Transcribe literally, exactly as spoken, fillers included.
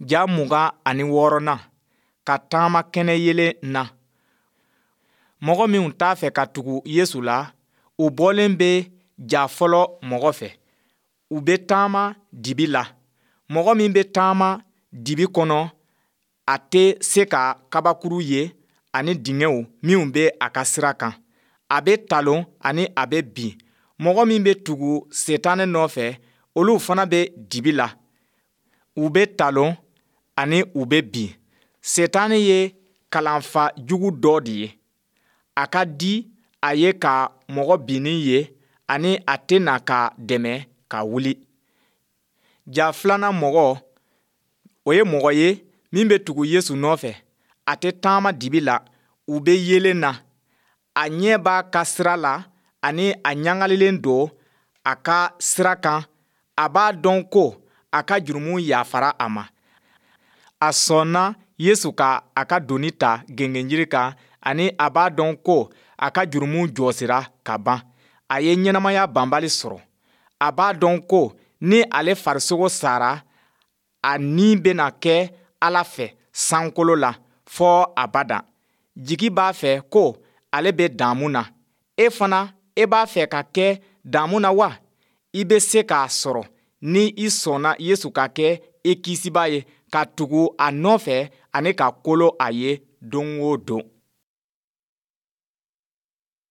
Ja mugan ani wɔɔrɔnan, ka taama kɛnɛyeelen na. Mɔgɔ minw t'a fɛ ka tugu Yesu la, u bɔlen bɛ ja fɔlɔ mɔgɔ fɛ. U bɛ taama dibi la. Mɔgɔ min bɛ taama dibi kɔnɔ, a tɛ se ka kabakuru ye ani dingɛw minw bɛ a ka sira kan. A bɛ talon ani a bɛ bin. Mɔgɔ min bɛ tugu Sitanɛ nɔfɛ, olu fana bɛ dibi la. U bɛ talon ani u bɛ bin. Sitanɛ ye kalanfa jugu dɔ de ye. A ka di a ye ka mɔgɔ binnen ye ani a tɛna ka dɛmɛ ka wuli. Ja filanan mɔgɔ, o ye mɔgɔ ye min bɛ tugu Yesu nɔfɛ. A tɛ taama dibi la, u bɛ yeelen na. A ɲɛ b'a ka sira la ani a ɲagalilen don a ka sira kan. A b'a dɔn ko a ka jurumu yafara a ma. A sɔnna Yesu ka a ka doni ta gengenjiri kan ani a b'a dɔn ko a ka jurumu jɔsira ka ban. A ye ɲɛnamaya banbali sɔrɔ. A b'a dɔn ko ni ale farisogo sara, a ni bɛna kɛ Ala fɛ sankolo la fɔ abada. Jigi b'a fɛ ko ale bɛ damu na. E fana, e b'a fɛ ka kɛ damu na wa? I bɛ se k'a sɔrɔ ni i sɔnna Yesu ka kɛ i Kisibaa ye, ka tugu a nɔfɛ ani ka kolo a ye don o don.